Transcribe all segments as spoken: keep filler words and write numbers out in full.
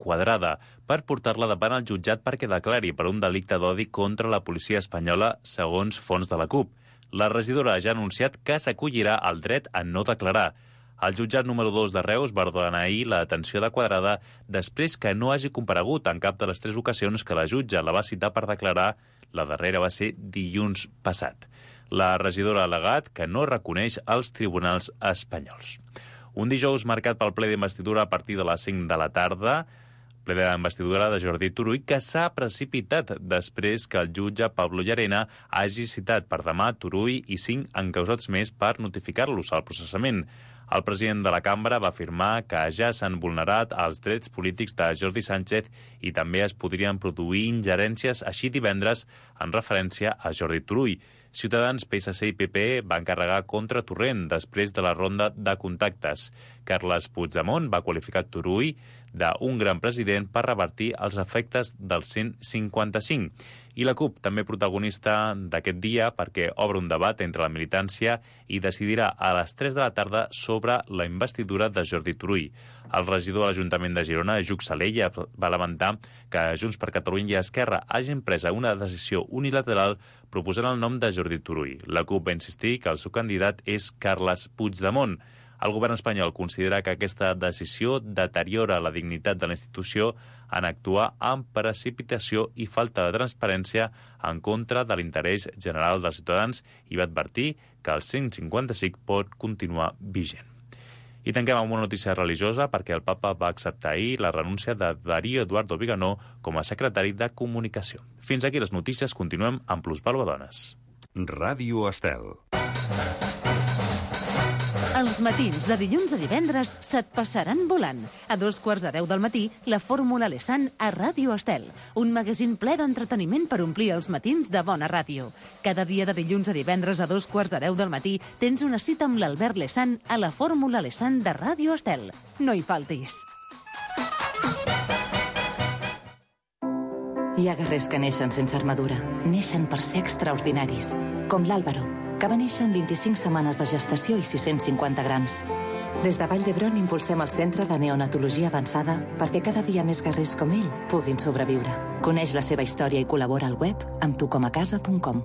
Quadrada per portar-la davant el jutjat perquè declari per un delicte d'odi contra la policia espanyola, segons fons de la CUP. La regidora ja ha anunciat que s'acollirà al dret a no declarar. El jutjat número dos de Reus va ordenar ahir la detenció de Quadrada després que no hagi comparegut en cap de les tres ocasions que la jutge la va citar per declarar. La darrera va ser dilluns passat. La regidora ha al·legat que no reconeix els tribunals espanyols. Un dijous marcat pel ple d'investidura a partir de les cinc de la tarda, ple d'investidura de Jordi Turull, que s'ha precipitat després que el jutge Pablo Llarena hagi citat per demà Turull i cinc encausats més per notificar-los al processament. El president de la cambra va afirmar que ja s'han vulnerat els drets polítics de Jordi Sánchez i també es podrien produir ingerències així divendres en referència a Jordi Turull. Ciutadans, P S C i P P E van carregar contra Torrent després de la ronda de contactes. Carles Puigdemont va qualificar Turull d'un gran president per revertir els efectes del cent cinquanta-cinc. I la CUP, també protagonista d'aquest dia, perquè obre un debat entre la militància i decidirà a les tres de la tarda sobre la investidura de Jordi Turull. El regidor de l'Ajuntament de Girona, Lluc Salella, va lamentar que Junts per Catalunya i Esquerra hagin pres una decisió unilateral proposant el nom de Jordi Turull. La CUP va insistir que el seu candidat és Carles Puigdemont. El govern espanyol considera que aquesta decisió deteriora la dignitat de la institució en actuar amb precipitació i falta de transparència en contra de l'interès general dels ciutadans i va advertir que el cent cinquanta-cinc pot continuar vigent. I tanquem amb una notícia religiosa perquè el papa va acceptar ahir la renúncia de Darío Eduardo Viganó com a secretari de Comunicació. Fins aquí les notícies, continuem amb Plusvàlua Dones. Ràdio Estel. Els matins de dilluns a divendres se't passaran volant. A dos quarts de deu del matí, la Fórmula Lesan a Ràdio Estel. Un magazín ple d'entreteniment per omplir els matins de bona ràdio. Cada dia de dilluns a divendres a dos quarts de deu del matí tens una cita amb l'Albert Lesan a la Fórmula Lesan de Ràdio Estel. No hi faltis. Hi ha guerrers que neixen sense armadura. Neixen per ser extraordinaris. Com l'Àlvaro, que va néixer en vint-i-cinc setmanes de gestació i sis-cents cinquanta grams. Des de Vall d'Hebron impulsem el Centre de Neonatologia Avançada perquè cada dia més guerrers com ell puguin sobreviure. Coneix la seva història i col·labora al web amb tu com a casa punt com.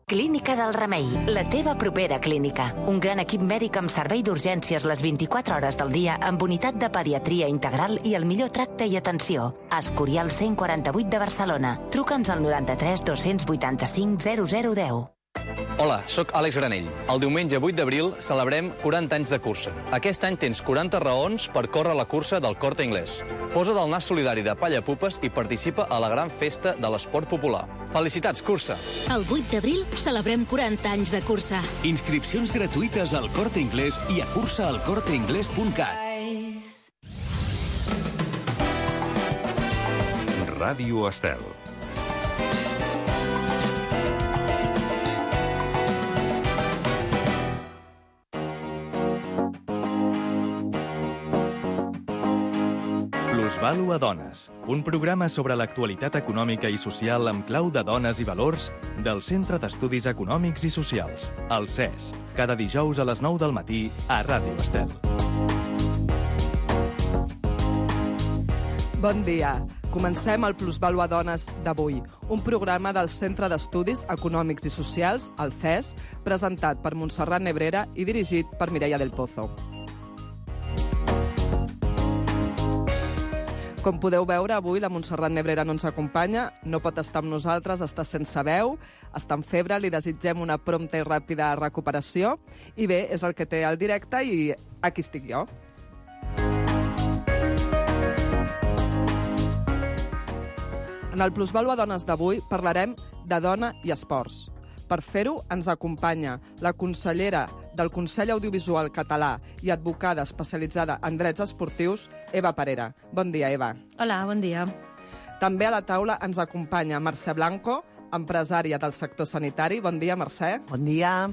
Clínica del Remei, la teva propera clínica. Un gran equip mèdic amb servei d'urgències les vint-i-quatre hores del dia amb unitat de pediatria integral i el millor tracte i atenció. Escorial cent quaranta-vuit de Barcelona. Truca'ns al noranta-tres dos-cents vuitanta-cinc zero zero deu. Hola, sóc Àlex Granell. El diumenge vuit d'abril celebrem quaranta anys de cursa. Aquest any tens quaranta raons per córrer la cursa del Corte Inglés. Posa't el nas solidari de palla pupes i participa a la gran festa de l'esport popular. Felicitats, cursa! El vuit d'abril celebrem quaranta anys de cursa. Inscripcions gratuïtes al Corte Inglés i a cursa al corte inglés punt cat. Ràdio Estel. Plusvàlua Dones, un programa sobre l'actualitat econòmica i social amb clau de dones i valors del Centre d'Estudis Econòmics i Socials, el C E S, cada dijous a les nou del matí a Ràdio Estel. Bon dia. Comencem el Plusvàlua Dones d'avui, un programa del Centre d'Estudis Econòmics i Socials, el C E S, presentat per Montserrat Nebrera i dirigit per Mireia del Pozo. Com podeu veure, avui la Montserrat Nebrera no ens acompanya, no pot estar amb nosaltres, està sense veu, està en febre, li desitgem una prompta i ràpida recuperació. I bé, és el que té el directe i aquí estic jo. En el Plusvàlua Dones d'avui parlarem de dona i esports. Per fer-ho ens acompanya la consellera del Consell Audiovisual Català i advocada especialitzada en drets esportius, Eva Parera. Bon dia, Eva. Hola, bon dia. També a la taula ens acompanya Mercè Blanco, empresària del sector sanitari. Bon dia, Mercè. Bon dia.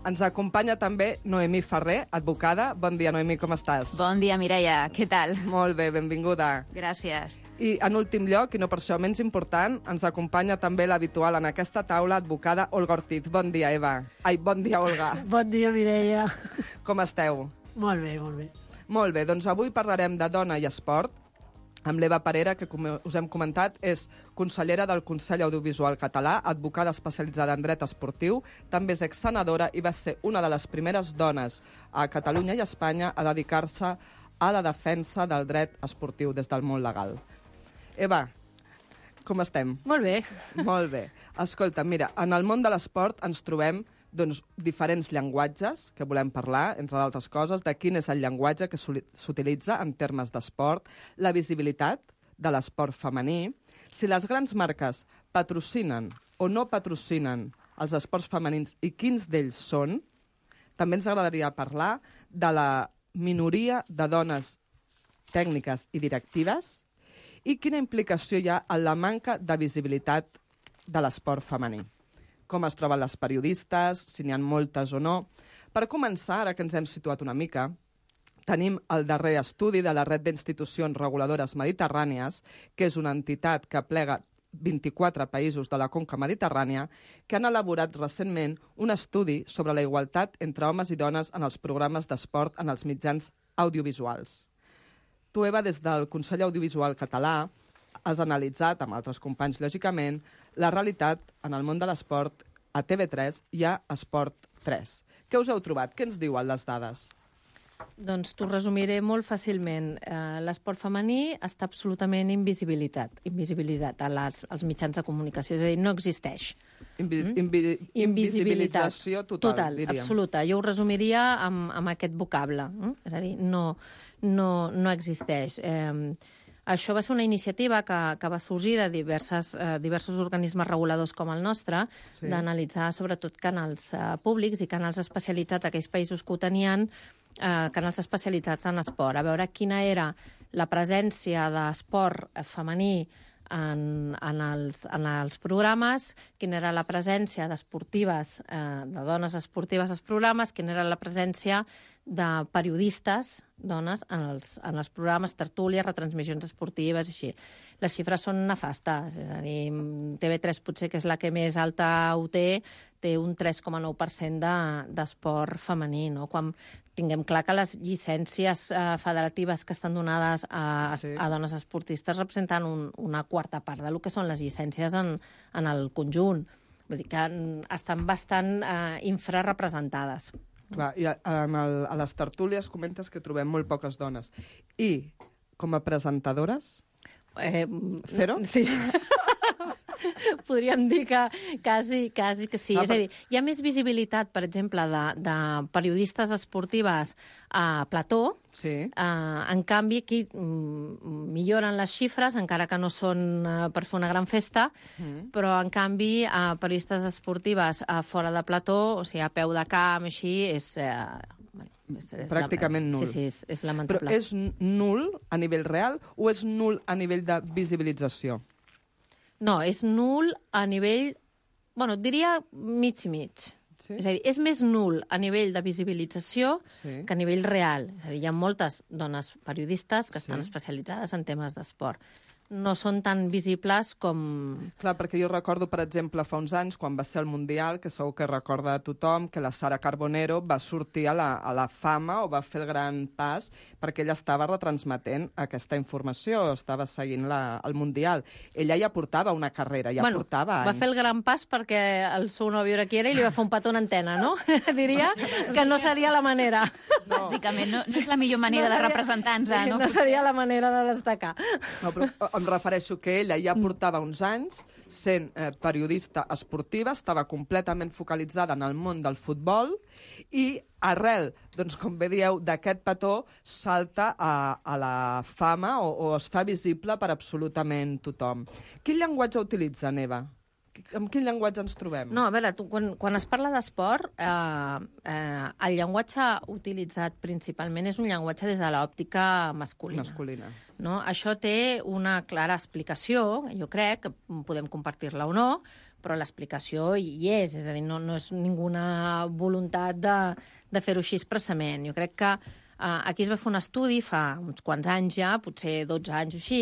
Ens acompanya també Noemí Ferrer, advocada. Bon dia, Noemí, com estàs? Bon dia, Mireia. Què tal? Molt bé, benvinguda. Gràcies. I en últim lloc, i no per això menys important, ens acompanya també l'habitual en aquesta taula, advocada Olga Ortiz. Bon dia, Eva. Ai, bon dia, Olga. Bon dia, Mireia. Com esteu? Molt bé, molt bé. Molt bé, doncs avui parlarem de dona i esport, amb l'Eva Parera, que com us hem comentat, és consellera del Consell Audiovisual Català, advocada especialitzada en dret esportiu, també és exsenadora i va ser una de les primeres dones a Catalunya i a Espanya a dedicar-se a la defensa del dret esportiu des del món legal. Eva, com estem? Molt bé. Molt bé. Escolta, mira, en el món de l'esport ens trobem doncs, diferents llenguatges que volem parlar, entre d'altres coses, de quin és el llenguatge que s'utilitza en termes d'esport, la visibilitat de l'esport femení, si les grans marques patrocinen o no patrocinen els esports femenins i quins d'ells són. També ens agradaria parlar de la minoria de dones tècniques i directives i quina implicació hi ha en la manca de visibilitat de l'esport femení. Com es troben les periodistes, si n'hi ha moltes o no. Per començar, ara que ens hem situat una mica, tenim el darrer estudi de la Red d'Institucions Reguladores Mediterrànies, que és una entitat que aplega vint-i-quatre països de la conca mediterrània, que han elaborat recentment un estudi sobre la igualtat entre homes i dones en els programes d'esport en els mitjans audiovisuals. Tu, Eva, des del Consell Audiovisual Català, has analitzat, amb altres companys, lògicament, la realitat en el món de l'esport a T V tres i a Esport tres. Què us heu trobat? Què ens diuen les dades? Doncs t'ho resumiré molt fàcilment. Eh, l'esport femení està absolutament invisibilitat, invisibilitzat a les, als mitjans de comunicació, és a dir, no existeix. Invi mm? invi invisibilització total, total, diríem. Absoluta. Jo ho resumiria amb, amb aquest vocable. Mm? És a dir, no, no, no existeix. Eh, Això va ser una iniciativa que, que va sorgir de diverses, eh, diversos organismes reguladors com el nostre, sí. d'analitzar sobretot canals eh, públics i canals especialitzats, aquells països que ho tenien, eh, canals especialitzats en esport, a veure quina era la presència d'esport femení en, en, els, en els programes, quina era la presència d'esportives, eh, de dones esportives als programes, quina era la presència de periodistes, dones, en els, en els programes, tertúlies, retransmissions esportives i així. Les xifres són nefastes, és a dir, T V tres potser que és la que més alta ho té, té un tres coma nou per cent d'esport femení, no? Quan tinguem clar que les llicències eh, federatives que estan donades a, sí. a dones esportistes representen un, una quarta part del que són les llicències en, en el conjunt. Vull dir que estan bastant eh, infrarrepresentades. Clar, i a, el, a les tertúlies comentes que trobem molt poques dones. I com a presentadores? Eh, Fer-ho? Sí. Podríem dir que quasi, quasi que sí. Ah, és a dir, hi ha més visibilitat, per exemple, de, de periodistes esportives a plató. Sí. Uh, en canvi, aquí mm, milloren les xifres, encara que no són uh, per fer una gran festa, mm. però, en canvi, uh, periodistes esportives uh, fora de plató, o sigui, a peu de camp, així, és... Uh, És, és pràcticament la... nul. Sí, sí, és, és lamentable. Però és nul a nivell real o és nul a nivell de visibilització? No, és nul a nivell... Bueno, et diria mig i mig. Sí? És a dir, és més nul a nivell de visibilització sí. que a nivell real. És a dir, hi ha moltes dones periodistes que sí. estan especialitzades en temes d'esport. No són tan visibles com... Clar, perquè jo recordo, per exemple, fa uns anys, quan va ser el Mundial, que segur que recorda a tothom, que la Sara Carbonero va sortir a la, a la fama o va fer el gran pas perquè ella estava retransmetent aquesta informació, estava seguint la, el Mundial. Ella ja portava una carrera, ja bueno, portava anys. Va fer el gran pas perquè el seu nòvio era qui era i li va fer un petó en antena, no? Diria que no seria la manera. No. Bàsicament, no, no és la millor manera no seria, de representar-nos, sí, no? No seria la manera de destacar. No, però em refereixo que ella ja portava uns anys sent eh, periodista esportiva, estava completament focalitzada en el món del futbol i arrel, doncs, com bé dieu, d'aquest petó salta a, a la fama o, o es fa visible per absolutament tothom. Quin llenguatge utilitza, Eva? Amb quin llenguatge ens trobem? No, a veure, tu, quan, quan es parla d'esport, eh, eh, el llenguatge utilitzat principalment és un llenguatge des de l'òptica masculina. Masculina. No? Això té una clara explicació, jo crec, que podem compartir-la o no, però l'explicació hi és, és a dir, no, no és ninguna voluntat de, de fer-ho així expressament. Jo crec que Uh, aquí es va fer un estudi fa uns quants anys ja, potser dotze anys o així,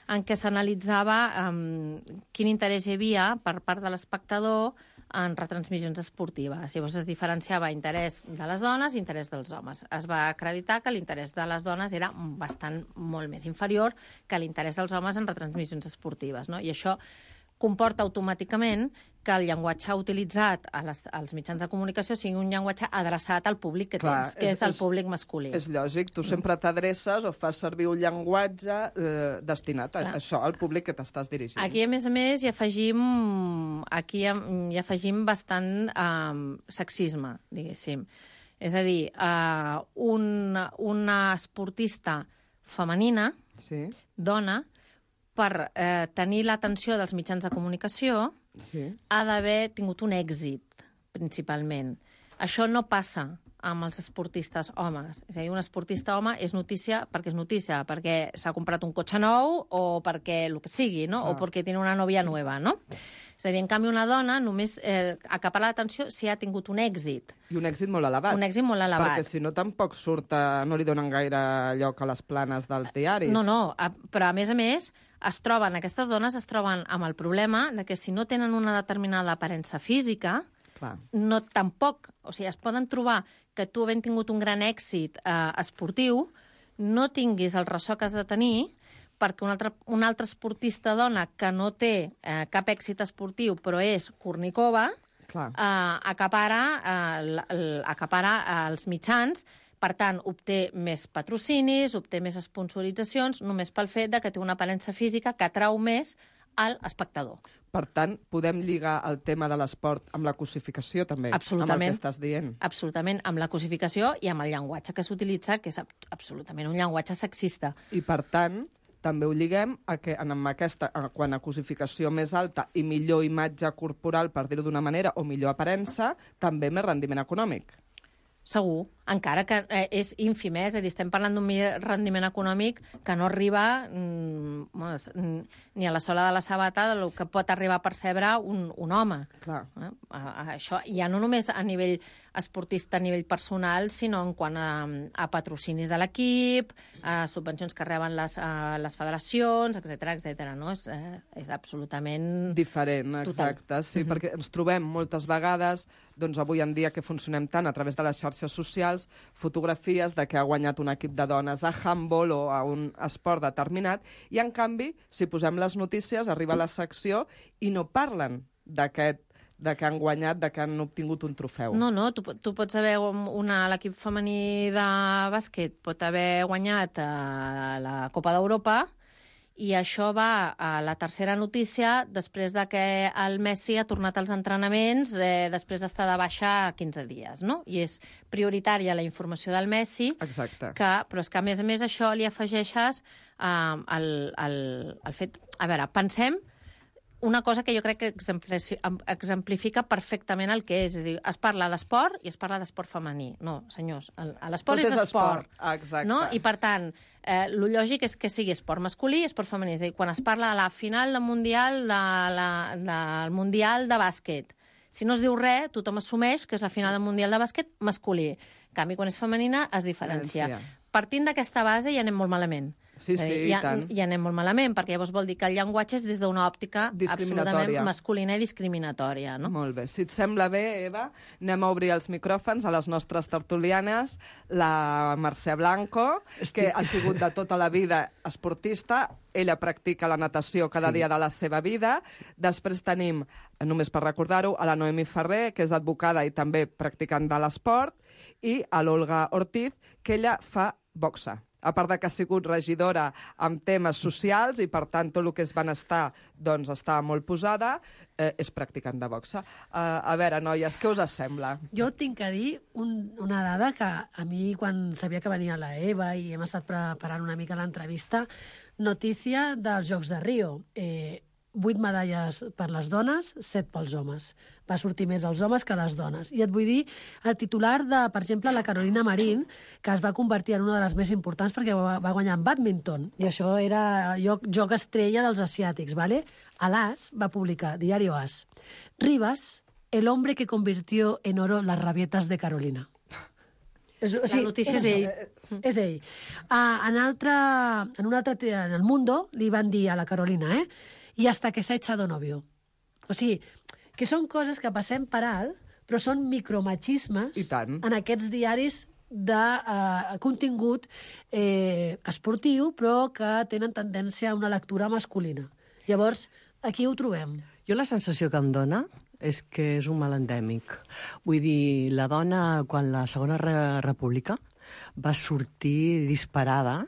en què s'analitzava um, quin interès hi havia per part de l'espectador en retransmissions esportives. Llavors es diferenciava interès de les dones i interès dels homes. Es va acreditar que l'interès de les dones era bastant molt més inferior que l'interès dels homes en retransmissions esportives, no? I això comporta automàticament que el llenguatge utilitzat a les, als mitjans de comunicació sigui un llenguatge adreçat al públic que Clar, tens, que és, és, és el públic masculí. És lògic, tu sempre t'adreces o fas servir un llenguatge eh, destinat a Clar. això, al públic que t'estàs dirigint. Aquí, a més a més, hi afegim, aquí hi, hi afegim bastant um, sexisme, diguéssim. És a dir, uh, un, una esportista femenina, sí. dona, per eh, tenir l'atenció dels mitjans de comunicació, sí. ha d'haver tingut un èxit, principalment. Això no passa amb els esportistes homes. És a dir, un esportista home és notícia perquè és notícia, perquè s'ha comprat un cotxe nou o perquè el que sigui, no? Ah. O perquè tiene una nòvia nova, no? És a dir, en canvi, una dona només eh, acapara l'atenció si ha tingut un èxit. I un èxit molt elevat. Un èxit molt elevat. Perquè si no, tampoc surt, a, no li donen gaire lloc a les planes dels diaris. No, no, a, però a més a més es troben, aquestes dones es troben amb el problema de que si no tenen una determinada aparença física, Clar. no tampoc, o sigui, es poden trobar que tu havent tingut un gran èxit eh, esportiu, no tinguis el ressò que has de tenir perquè un altre, un altre esportista dona que no té eh, cap èxit esportiu però és Kornikova, Clar. eh, acapara, eh, l, l, acapara eh, els mitjans, per tant, obté més patrocinis, obté més sponsoritzacions, només pel fet de que té una aparença física que atrau més al espectador. Per tant, podem lligar el tema de l'esport amb la cosificació, també, Absolutament. amb el que estàs dient. Absolutament, amb la cosificació i amb el llenguatge que s'utilitza, que és absolutament un llenguatge sexista. I, per tant, també ho lliguem a que en amb aquesta, a, quan a cosificació més alta i millor imatge corporal, per dir-ho d'una manera, o millor aparença, també més rendiment econòmic. Segur, encara que eh, és ínfim, eh? És a dir, estem parlant d'un rendiment econòmic que no arriba mm, ni a la sola de la sabata del que pot arribar a percebre un, un home. Clar. Eh? A, a, això ja no només a nivell esportista, a nivell personal, sinó en quant a, a patrocinis de l'equip, a subvencions que reben les, a les federacions, etcètera, etcètera. No? És, eh, és absolutament... Diferent, total. exacte, sí, Mhm. perquè ens trobem moltes vegades, doncs avui en dia que funcionem tant a través de les xarxes socials, fotografies de que ha guanyat un equip de dones a handball o a un esport determinat, i en canvi, si posem les notícies, arriba la secció i no parlen d'aquest de que han guanyat, de que han obtingut un trofeu. No, no, tu, tu pots haver una, l'equip femení de bàsquet pot haver guanyat a la Copa d'Europa i això va a la tercera notícia després de que el Messi ha tornat als entrenaments eh, després d'estar de baixa quinze dies, no? I és prioritària la informació del Messi, Exacte. que, però és que a més a més això li afegeixes eh, el, el, el fet... A veure, pensem una cosa que jo crec que exemplifica perfectament el que és. És a dir, es parla d'esport i es parla d'esport femení. No, senyors, l'esport és, és esport. esport. Exacte. No? I, per tant, eh, el lògic és que sigui esport masculí i esport femení. És a dir, quan es parla de la final del Mundial, de la, del Mundial de bàsquet, si no es diu res, tothom assumeix que és la final del Mundial de bàsquet masculí. En canvi, quan és femenina, es diferencia. Diferencia. Partint d'aquesta base ja anem molt malament. Sí, sí, dir, i ja, tant. ja anem molt malament, perquè llavors vol dir que el llenguatge és des d'una òptica absolutament masculina i discriminatòria. No? Molt bé. Si et sembla bé, Eva, anem a obrir els micròfons a les nostres tertulianes. La Mercè Blanco, que ha sigut de tota la vida esportista, ella practica la natació cada Sí. dia de la seva vida. Després tenim, només per recordar-ho, a la Noemi Ferrer, que és advocada i també practicant de l'esport, i a l'Olga Ortiz, que ella fa boxa. A part de que ha sigut regidora amb temes socials i, per tant, tot el que és benestar doncs, està molt posada, eh, és practicant de boxa. Uh, a veure, noies, què us sembla? Jo tinc que dir un, una dada que a mi, quan sabia que venia la Eva i hem estat preparant una mica l'entrevista, notícia dels Jocs de Rio. Eh, vuit medalles per les dones, set pels homes. Va sortir més els homes que les dones. I et vull dir el titular de, per exemple, la Carolina Marín, que es va convertir en una de les més importants perquè va, va guanyar en bàdminton. I això era joc, joc estrella dels asiàtics, ¿vale? A l'As va publicar, Diario As, Rivas, el hombre que convirtió en oro las rabietas de Carolina. És, o sigui, La notícia és ell. És ell. Uh, en, altre, en, un altre, en el Mundo li van dir a la Carolina, eh? Y hasta que se ha echado novio. O sigui, que són coses que passem per alt, però són micromachismes en aquests diaris de uh, contingut eh, esportiu, però que tenen tendència a una lectura masculina. Llavors, aquí ho trobem. Jo la sensació que em dona és que és un mal endèmic. Vull dir, la dona, quan la Segona República va sortir disparada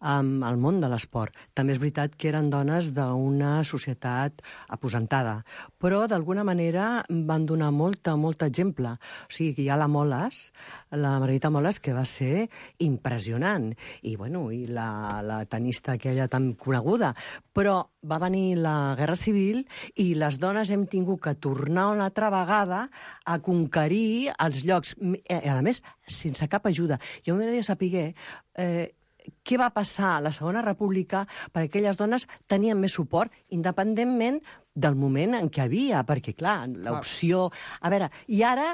um, al món de l'esport. També és veritat que eren dones d'una societat aposentada, però d'alguna manera van donar molta, molt exemple. O sigui, que hi ha la Moles, la Margarita Moles, que va ser impressionant, i, bueno, i la, la tenista aquella tan coneguda, però va venir la Guerra Civil i les dones hem tingut que tornar una altra vegada a conquerir els llocs, a més, sense cap ajuda. Jo m'agradaria saber eh, què va passar a la Segona República perquè aquelles dones tenien més suport, independentment del moment en què havia, perquè, clar, l'opció... A veure, i ara...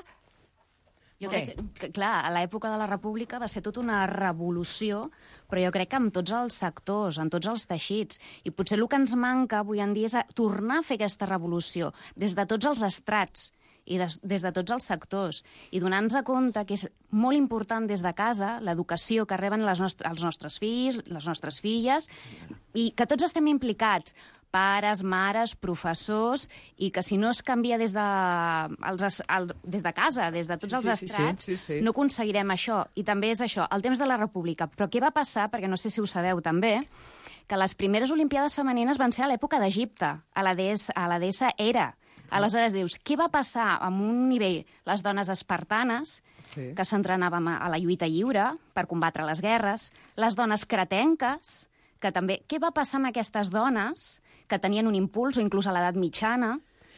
Jo crec que, que, clar, a l'època de la República va ser tota una revolució, però jo crec que en tots els sectors, en tots els teixits. I potser el que ens manca avui en dia és tornar a fer aquesta revolució des de tots els estrats i des, des de tots els sectors. I donar-nos compte que és molt important des de casa l'educació que reben les nostres, els nostres fills, les nostres filles, i que tots estem implicats, pares, mares, professors, i que si no es canvia des de, els, el, des de casa, des de tots els Sí, sí, estrats, sí, sí, sí. no aconseguirem això. I també és això, el temps de la República. Però què va passar, perquè no sé si ho sabeu també, que les primeres Olimpiades femenines van ser a l'època d'Egipte, a la deessa, a la deessa Hera. Aleshores dius, què va passar amb un nivell les dones espartanes, Sí. que s'entrenàvem a la lluita lliure per combatre les guerres, les dones cretenques, que també... Què va passar amb aquestes dones que tenien un impuls, o inclús a l'edat mitjana,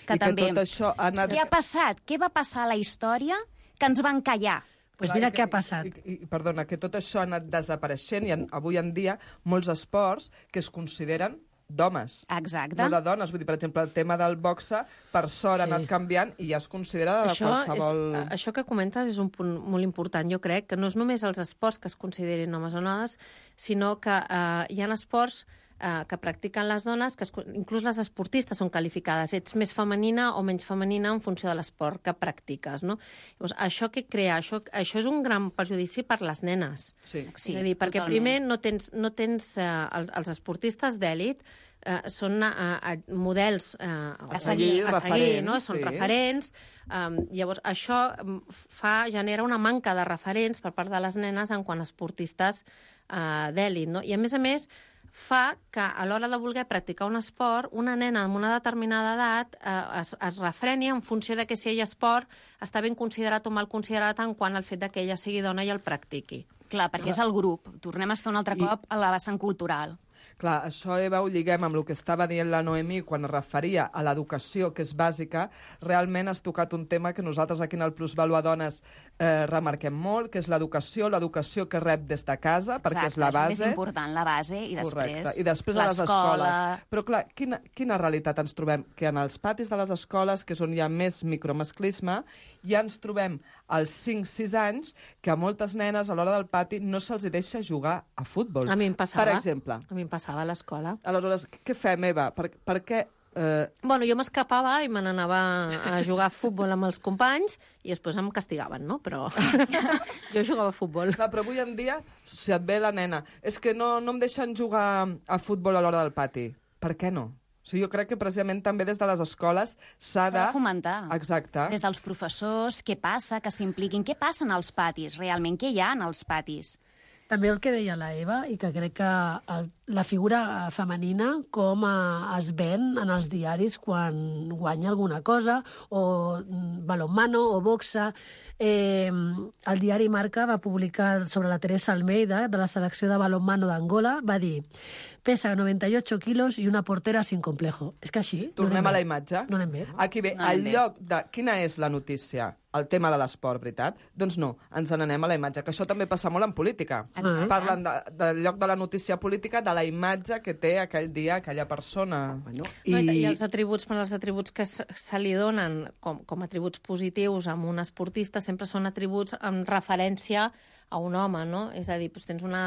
que I que també... tot això ha anat... Què ha passat? Què va passar a la història que ens van callar? Pues mira què ha passat. I, i, perdona, que tot això ha anat desapareixent i en, avui en dia molts esports que es consideren d'homes. Exacte. No de dones. Vull dir, per exemple, el tema del boxe, per sort, sí. ha anat canviant i ja es considera de Això qualsevol... És, això que comentes és un punt molt important. Jo crec que no és només els esports que es considerin homes o dones, sinó que eh, hi ha esports eh, que practiquen les dones, que es, inclús les esportistes són qualificades. Ets més femenina o menys femenina en funció de l'esport que practiques, no? Llavors, això que crea, això, això és un gran perjudici per les nenes. Sí, sí, és a dir, perquè totalment. primer no tens, no tens eh, els, els esportistes d'èlit eh, són eh, eh, models eh, A seguir, a seguir, referents, no? Són sí. referents. Um, llavors, això fa, genera una manca de referents per part de les nenes en quant a esportistes uh, d'èlit, no? I, a més a més, fa que a l'hora de voler practicar un esport, una nena amb una determinada edat eh, es, es refreni en funció de que si ell esport està ben considerat o mal considerat en quant al fet de que ella sigui dona i el practiqui. Clar, perquè és el grup. Tornem a estar un altre I- cop a la vessant cultural. Clar, això, Eva, ho lliguem amb el que estava dient la Noemí quan es referia a l'educació, que és bàsica. Realment has tocat un tema que nosaltres aquí en el Plusvalua Dones eh, remarquem molt, que és l'educació, l'educació que rep des de casa, perquè Exacte, és la base. és més important, la base, i després, Correcte. I després a les l'escola. escoles. Però, clar, quina, quina realitat ens trobem? Que en els patis de les escoles, que és on hi ha més micromasclisme, ja ens trobem als cinc sis anys que a moltes nenes a l'hora del pati no se'ls deixa jugar a futbol. A mi em passava. Per exemple. A mi em passava a l'escola. Aleshores, què fem, Eva? Per, per què... Eh... Bueno, jo m'escapava i me n'anava a jugar a futbol amb els companys i després em castigaven, no? Però jo jugava a futbol. Clar, però avui en dia, si et ve la nena, és que no, no em deixen jugar a futbol a l'hora del pati. Per què no? O sigui, jo crec que precisament també des de les escoles s'ha de... S'ha de fomentar. Exacte. Des dels professors, què passa, que s'impliquin, què passa en els patis, realment, què hi ha en els patis? També el que deia la Eva, i que crec que el, la figura femenina com a, es ven en els diaris quan guanya alguna cosa, o mm, balonmano, o boxa. Eh, el diari Marca va publicar sobre la Teresa Almeida, de la selecció de balonmano d'Angola, va dir: pesa noventa y ocho kilos i una portera sin complejo. És que així... Tornem no a la imatge. No anem bé. Aquí ve, No al anem bé. lloc de... Quina és la notícia? El tema de l'esport, veritat? Doncs no, ens n'anem a la imatge, que això també passa molt en política. Exacte. Parlen de, del lloc de la notícia política, de la imatge que té aquell dia aquella persona. Bueno, I... No, i... I els atributs, per els atributs que se, se li donen com, com atributs positius a un esportista sempre són atributs en referència a un home, no? És a dir, doncs tens una...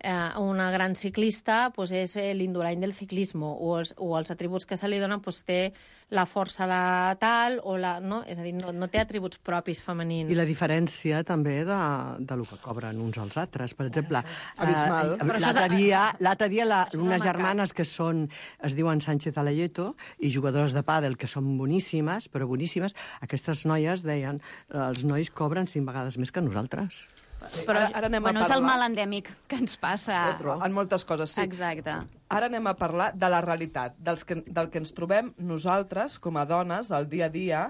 eh, una gran ciclista pues, és eh, l'indurany del ciclisme, o els, o els atributs que se li donen pues, té la força de tal, o la, no? És a dir, no, no té atributs propis femenins. I la diferència també de, de lo que cobren uns als altres. Per exemple, Abismal. eh, l'altre dia, l'altre dia la, unes germanes que són, es diuen Sánchez Alayeto, i jugadores de pàdel que són boníssimes, però boníssimes, aquestes noies deien, els nois cobren cinc vegades més que nosaltres. Sí, però ara, ara anem bueno, a parlar... és el mal endèmic que ens passa. En moltes coses, sí. Exacte. Ara anem a parlar de la realitat, dels que, del que ens trobem nosaltres, com a dones, al dia a dia,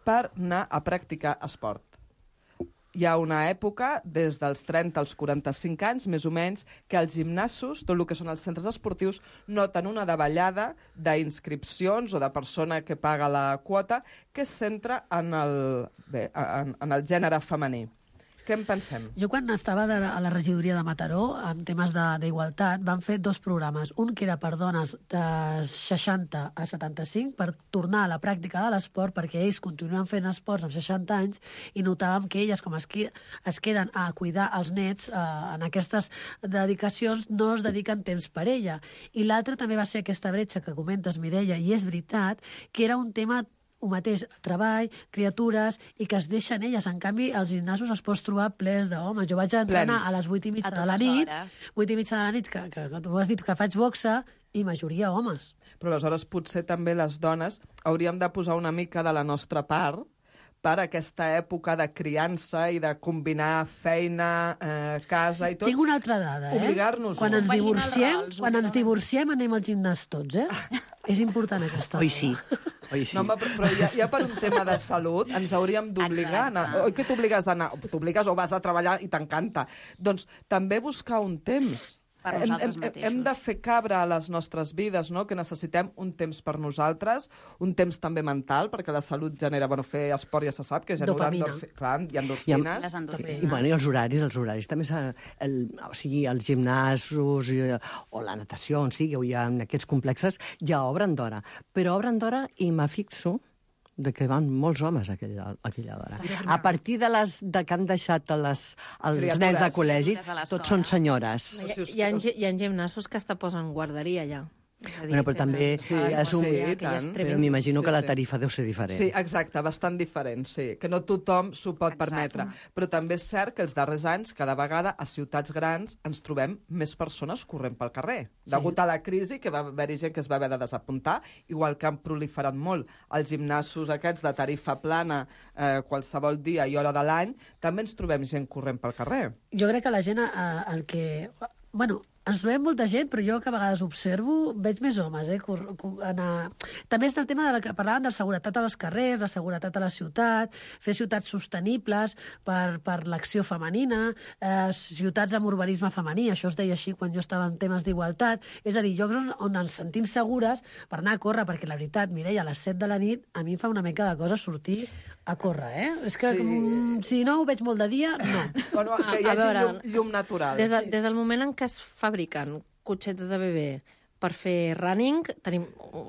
per anar a practicar esport. Hi ha una època, des dels trenta als quaranta-cinc anys, més o menys, que els gimnasos, tot el que són els centres esportius, noten una davallada d'inscripcions o de persona que paga la quota que es centra en el, bé, en, en el gènere femení. Què en pensem? Jo quan estava de, a la regidoria de Mataró, en temes d'igualtat, van fer dos programes. Un que era per dones de seixanta a setanta-cinc, per tornar a la pràctica de l'esport, perquè ells continuen fent esports amb seixanta anys, i notàvem que elles, com es, es queden a cuidar els nets, eh, en aquestes dedicacions no es dediquen temps per ella. I l'altre també va ser aquesta bretxa que comentes, Mireia, i és veritat que era un tema ho mateix, treball, criatures, i que es deixen elles. En canvi, als gimnasos es pots trobar plens d'homes. Jo vaig entrenar Plens. a les vuit i mitja A de la totes nit, hores. vuit i mitja de la nit, que, que, que tu has dit que faig boxa, i majoria homes. Però aleshores potser també les dones hauríem de posar una mica de la nostra part per aquesta època de criança i de combinar feina, eh, casa i tot. Tinc una altra dada, eh? Obligar-nos-ho. Quan ens Compagina els divorciem, rols, quan ens divorciem anem al gimnàs tots, eh? És important aquesta dada. Oi, sí. Oi, sí. No, home, però, però ja, ja per un tema de salut ens hauríem d'obligar a anar. Oi que t'obligues a anar? T'obligues o vas a treballar i t'encanta. Doncs també buscar un temps. Per hem, nosaltres hem, mateixos. hem de fer cabre a les nostres vides, no? Que necessitem un temps per nosaltres, un temps també mental, perquè la salut genera, bueno, fer esport ja se sap, que genera Dopamina. endorfi... Clar, hi ha I, endorfines. Les endorfines. i, bueno, i els horaris, els horaris també s'ha... El, o sigui, els gimnasos i, o la natació, on sigui, o hi ha aquests complexes, ja obren d'hora. Però obren d'hora i me fixo de que van molts homes a aquella, a aquella hora. A partir de les de que han deixat a les, els Criatures. nens a col·legi, Criatures a l'escola. tots són senyores. Hi, hi, ha, hi ha gimnasos que hasta posen guarderia, ja. És a dir, Bueno, però també Sí, és un... sí, i que ja és tant. tremendo. Però m'imagino Sí, que la sí. tarifa deu ser diferent. Sí, exacte, bastant diferent, sí. Que no tothom s'ho pot Exacte. permetre. Però també és cert que els darrers anys, cada vegada, a ciutats grans, ens trobem més persones corrent pel carrer. Sí. Degut a la crisi, que va haver-hi gent que es va haver de desapuntar, igual que han proliferat molt els gimnasos aquests de tarifa plana eh, qualsevol dia i hora de l'any, també ens trobem gent corrent pel carrer. Jo crec que la gent, eh, el que... Bueno, ens trobem molta gent, però jo que a vegades observo, veig més homes, eh? Cor, cor, anar... També és el tema de la que parlàvem de la seguretat a les carrers, la seguretat a la ciutat, fer ciutats sostenibles per, per l'acció femenina, eh, ciutats amb urbanisme femení, això es deia així quan jo estava en temes d'igualtat, és a dir, llocs on, on ens sentim segures per anar a córrer, perquè la veritat, Mireia, a les set de la nit a mi em fa una mica de cosa sortir a córrer, eh? És que Sí. mm, si no ho veig molt de dia, no. Bueno, que hi A hagi veure, llum, llum natural. Des, de, des del moment en què es fabriquen cotxets de bebè per fer running, tenim,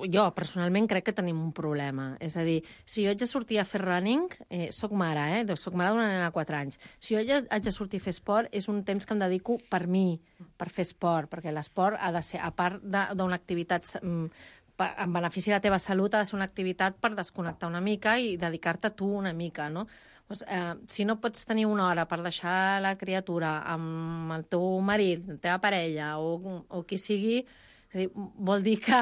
jo personalment crec que tenim un problema. És a dir, si jo haig de sortir a fer running, eh, soc mare, eh? Doncs soc mare d'una nena de quatre anys. Si jo haig de sortir a fer esport, és un temps que em dedico per mi, per fer esport, perquè l'esport ha de ser, a part d'una activitat mm, en benefici de la teva salut, ha de ser una activitat per desconnectar una mica i dedicar-te a tu una mica, no? Pues, eh, si no pots tenir una hora per deixar la criatura amb el teu marit, la teva parella o, o qui sigui, és a dir, vol dir que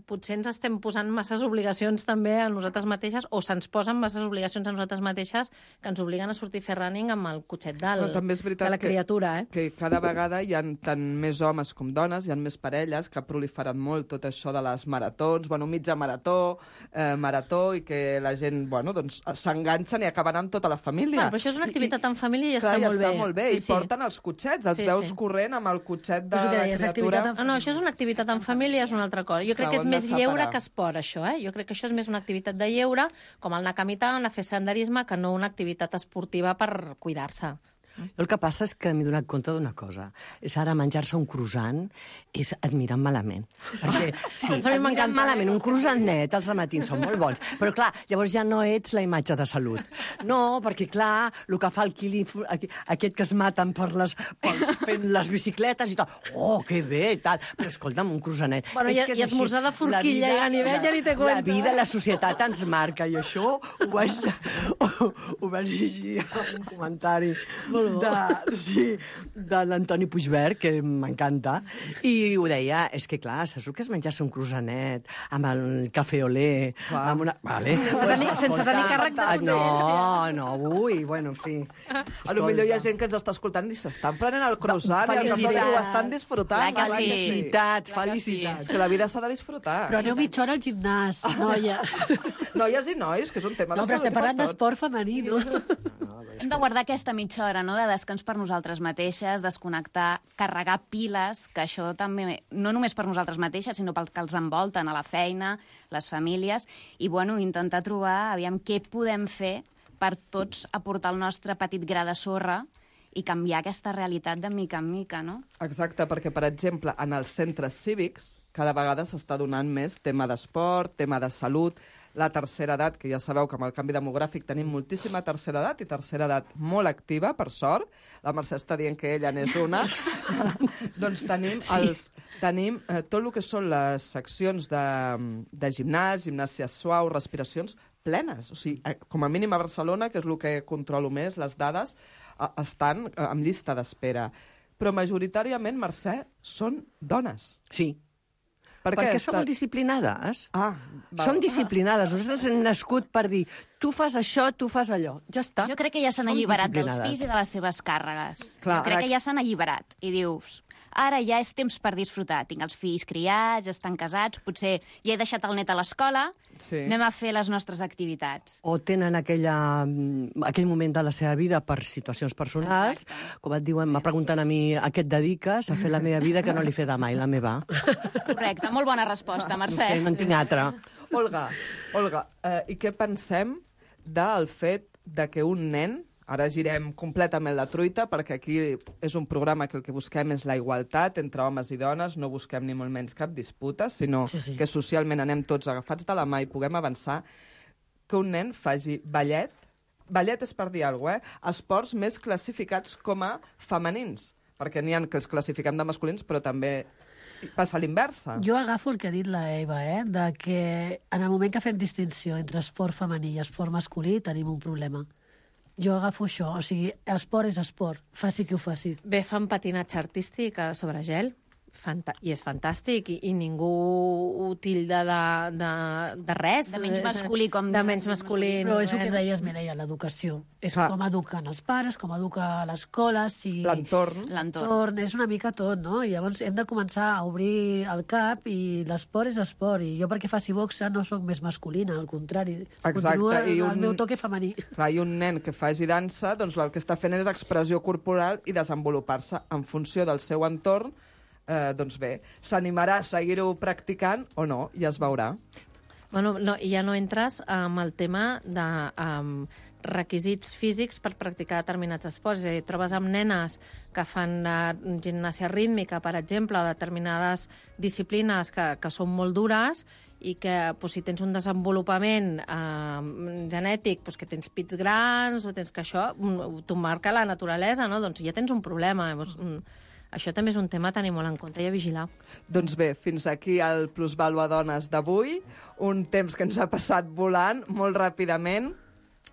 potser ens estem posant masses obligacions també a nosaltres mateixes, o se'ns posen masses obligacions a nosaltres mateixes que ens obliguen a sortir a fer running amb el cotxet del, Però també és veritat de la que, criatura. Eh? que cada vegada hi ha tant més homes com dones, hi ha més parelles que ha proliferat molt tot això de les maratons, bueno, mitja marató, eh, marató, i que la gent, bueno, doncs s'enganxen i acaben amb tota la família. Bueno, però això és una activitat en família i ja Clar, està ja molt està bé. molt bé, Sí, i sí. porten els cotxets, els Sí, veus sí. corrent amb el cotxet de Però és el que la deies, criatura. activitat en No, no, això és una activitat en família, és una altra cosa. Jo crec Clar, que ho és hem de més lleure separar. que esport, això, eh? Jo crec que això és més una activitat de lleure, com el anar a caminar, anar a fer senderisme, que no una activitat esportiva per cuidar-se. El que passa és que m'he donat compte d'una cosa. És ara menjar-se un croissant és admirant malament. Perquè, sí, Doncs a mi et miren m'encanta. malament, un croissant net als matins són molt bons. Però, clar, llavors ja no ets la imatge de salut. No, perquè, clar, el que fa el quili, aquest que es maten per les, pels, fent les bicicletes i tal, oh, que bé, tal. Però, escolta'm, un croissanet... Bueno, i, i esmorzar de forquilla i ganivet ja ni te cuento. La vida, la societat ens marca, i això ho vaig, ho, ho vaig llegir en un comentari de, sí, de l'Antoni Puigverd, que m'encanta, i ho deia, és que clar, saps que es menjasse un croissanet amb el cafè olé, amb una... Vale. Sense tenir, sense tenir càrrec de No, no, ui, bueno, en fi. A lo millor hi ha gent que ens està escoltant i s'estan prenent el croissant i el cafè olé, ho estan disfrutant. Clar que sí. Felicitats, felicitats. És que la vida s'ha de disfrutar. Però aneu mitja hora al gimnàs, noies. Noies i nois, que és un tema de No, però salut estem parlant d'esport femení, no? Hem de guardar aquesta mitja hora, no?, de descans per nosaltres mateixes, desconnectar, carregar piles, que això també, no només per nosaltres mateixes, sinó pels que els envolten, a la feina, les famílies, i, bueno, intentar trobar, aviam, què podem fer per tots aportar el nostre petit gra de sorra i canviar aquesta realitat de mica en mica, no? Exacte, perquè, per exemple, en els centres cívics cada vegada s'està donant més tema d'esport, tema de salut, la tercera edat, que ja sabeu que amb el canvi demogràfic tenim moltíssima tercera edat i tercera edat molt activa, per sort. La Mercè està dient que ella n'és una. Doncs tenim, els, tenim eh, tot el que són les seccions de, de gimnàs, gimnàsia suau, respiracions plenes. O sigui, eh, com a mínim a Barcelona, que és el que controlo més, les dades, eh, estan eh, en llista d'espera. Però majoritàriament, Mercè, són dones. Sí. Per Perquè què? som molt disciplinades. Ah, val. Som disciplinades. Nosaltres hem nascut per dir tu fas això, tu fas allò. Ja està. Jo crec que ja s'han Som alliberat dels disciplinades. fills i de les seves càrregues. Clar, jo crec ara- que ja s'han alliberat. I dius, ara ja és temps per disfrutar. Tinc els fills criats, estan casats, potser ja he deixat el net a l'escola, Sí. anem a fer les nostres activitats. O tenen aquella, aquell moment de la seva vida per situacions personals, com et diuen, me pregunten a mi a què et dediques, a fer la meva vida que no li fe de mai, la meva. Correcte, molt bona resposta, No Mercè. sé, no en tinc altra. Olga, Olga eh, i què pensem del fet de que un nen, ara girem completament la truita, perquè aquí és un programa que el que busquem és la igualtat entre homes i dones, no busquem ni molt menys cap disputa, sinó Sí, sí. que socialment anem tots agafats de la mà i puguem avançar, que un nen faci ballet, ballet és per dir alguna cosa, eh? Esports més classificats com a femenins, perquè n'hi ha que els classifiquem de masculins, però també passa a l'inversa. Jo agafo el que ha dit la Eva, eh? De que en el moment que fem distinció entre esport femení i esport masculí tenim un problema. Jo agafo això, o sigui, esport és esport, faci qui ho faci. Bé, fan patinatge artístic eh, sobre gel, Fanta i és fantàstic, i, i ningú ho tilda de, de, de res. De menys masculí com de menys masculí. Però és el no, que eh? deies, Mireia, l'educació. És Clar. com eduquen els pares, com educa l'escola, si... L'entorn. L'entorn, és una mica tot, no? I llavors hem de començar a obrir el cap i l'esport és esport. I jo perquè faci boxa no sóc més masculina, al contrari. Exacte, Continua i el un- meu toque femení. Clar, i un nen que faci dansa, doncs el que està fent és expressió corporal i desenvolupar-se en funció del seu entorn. Eh, doncs bé, s'animarà a seguir-ho practicant o no, i es veurà. Bueno, no, i ja no entres amb el tema de um, requisits físics per practicar determinats esports. És a dir, trobes amb nenes que fan uh, gimnàsia rítmica, per exemple, o determinades disciplines que, que són molt dures i que pues, si tens un desenvolupament eh, genètic, pues, que tens pits grans o tens que això, mm, t'ho marca la naturalesa, no? Doncs ja tens un problema. Llavors, mm, això també és un tema a tenir molt en compte i a vigilar. Doncs bé, fins aquí el Plusvalua Dones d'avui. Un temps que ens ha passat volant molt ràpidament.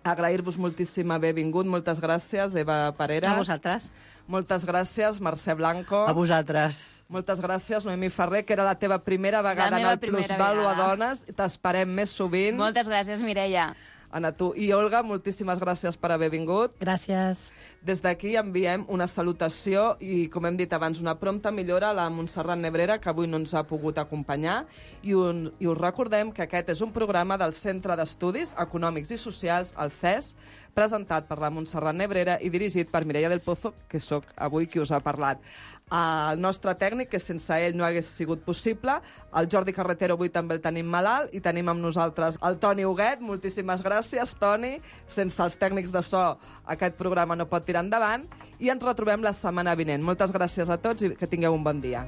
Agrair-vos moltíssim haver vingut. Moltes gràcies, Eva Parera. A vosaltres. Moltes gràcies, Mercè Blanco. A vosaltres. Moltes gràcies, Noemí Ferrer, que era la teva primera vegada La en meva el primera Plusvalua vegada. Dones. T'esperem més sovint. Moltes gràcies, Mireia. Anna, tu. I Olga, moltíssimes gràcies per haver vingut. Gràcies. Des d'aquí enviem una salutació i, com hem dit abans, una prompta millora a la Montserrat Nebrera, que avui no ens ha pogut acompanyar. I, un, I us recordem que aquest és un programa del Centre d'Estudis Econòmics i Socials, el C E S, presentat per la Montserrat Nebrera i dirigit per Mireia del Pozo, que sóc avui qui us ha parlat. El nostre tècnic, que sense ell no hagués sigut possible, el Jordi Carretero avui també el tenim malalt, i tenim amb nosaltres el Toni Huguet. Moltíssimes gràcies, Toni. Sense els tècnics de so aquest programa no pot tirar endavant, i ens retrobem la setmana vinent. Moltes gràcies a tots i que tingueu un bon dia.